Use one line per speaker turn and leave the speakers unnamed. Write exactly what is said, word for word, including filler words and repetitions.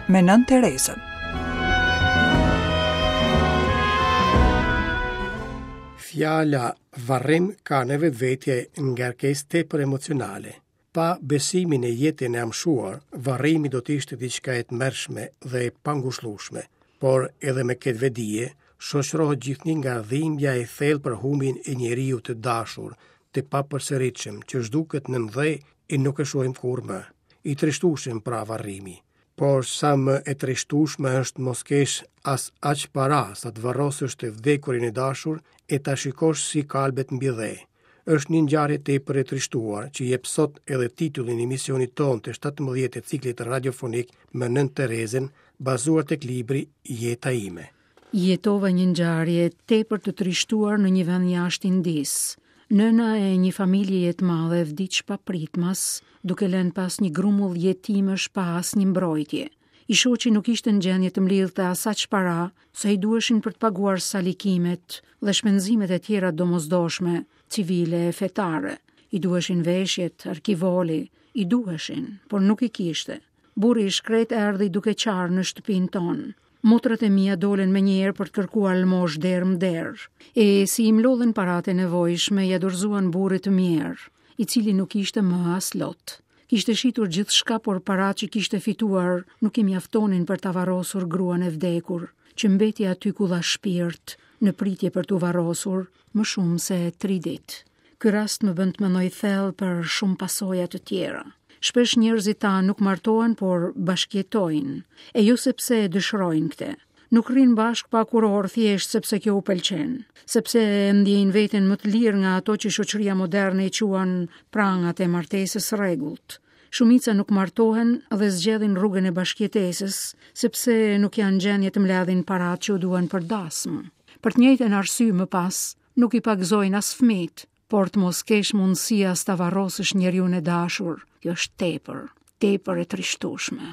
me Nënë Terezën.
Fjala varrim ka në vetvete ngarkesë tepër emocionale. Pa besimin e jetën e amshuar, varrimi do të ishte diçka e tmerrshme dhe e pangushëllueshme, por edhe me këtë vetëdije, shoqërohet gjithnjë nga dhimbja e thellë për humbjen e njeriut të dashur, të papërsëritshëm, që zhduket nën dhe e nuk e shohim kurrë më. I trishtueshëm pra varrimi. Por sa më e trishtueshme është mos kesh as aq para sa të varrosësh të vdekurin e dashur e ta shikosh si kalbet mbi dhe. Është një ngjarje tepër e trishtuar që jep sot edhe titullin e emisionit tonë të shtatëmbëdhjetë të ciklit radiofonik me Nënë Terezën, bazuar tek libri Jeta ime.
Jetova një ngjarje tepër të trishtuar në një vend jashtë Indisë. Nëna e një familjeje të madhe vdiq papritmas, duke lënë pas një grumull jetimësh pa asnjë mbrojtje. I shoqi nuk ishte në gjendje të mblidhte as aq para sa i duheshin për të paguar salikimet dhe shpenzimet e tjera domosdoshme, civile e fetare. I duheshin veshjet, arkivoli, i duheshin, por nuk i kishte. Burri i shkret erdhi duke qarë në shtëpinë tonë. Motrat e mia dolën me njëherë për të kërkuar lmosh derë më derë. E si i mlodhën paratë e nevojshme, ja dorëzuan burrit të mjerë, i cili nuk ishte më as lot. Kishte shitur gjithçka, por paratë që kishte fituar nuk i mjaftonin për ta varrosur gruan e vdekur, që mbeti aty ku dha shpirt, në pritje për t'u varrosur më shumë se tri ditë. Ky rast më bën të mendoj thellë për shumë pasoja të tjera. Shpesh njerëzit tanë nuk martohen, por bashkjetojnë, e jo sepse e dëshirojnë këtë. Nuk rrinë bashkë pa kuror thjesht sepse kjo u pëlqen, sepse e ndjejnë veten më të lirë nga ato që shoqëria moderne i quan prangat e martesës së rregullt. Shumica nuk martohen dhe zgjedhin rrugën e bashkëjetesës, sepse nuk janë gjendje të mbledhin paratë që u duhen për dasmë. Për të njëjtën arsye më pas, nuk i pagëzojnë as fëmijët, por të mos kesh mundësi as ta varrosësh njeriun e dashur, kjo është tepër, tepër e trishtueshme.